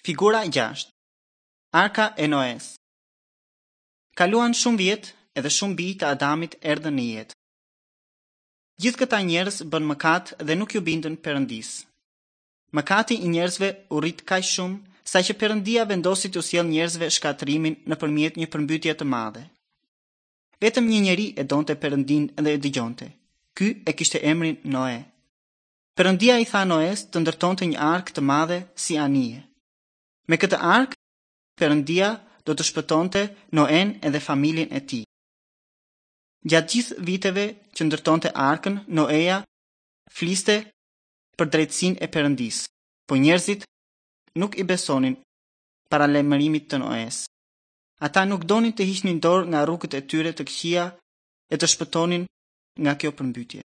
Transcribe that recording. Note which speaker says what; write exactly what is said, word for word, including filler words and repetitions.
Speaker 1: Figura gjashtë. Arka e Noes. Kaluan shumë vjet edhe shumë bij të Adamit erdhën në jetë. Gjithë këta njerëz bën mëkat dhe nuk ju bindën Perëndisë. Mëkati i njerëzve u rrit kaq shumë saqë Perëndia vendosi t'u sjellë njerëzve shkatërrimin nëpërmjet një përmbytje të madhe. Vetëm një njeri e donte Perëndinë dhe e dëgjonte. Ky e kishte emrin Noe. Perëndia i tha Noes të ndërtonte një arkë të madhe si anije. Me këtë arkë, Perëndia do të shpëtonte Noen edhe familjen e tij. Gjatë gjithë viteve që ndërtonte arkën, Noeja fliste për drejtësinë e Perëndisë, po njerëzit nuk i besonin paralajmërimit të Noes. Ata nuk donin të hiqnin dorë nga rrugët e tyre të këqija e të shpëtonin nga kjo përmbytje.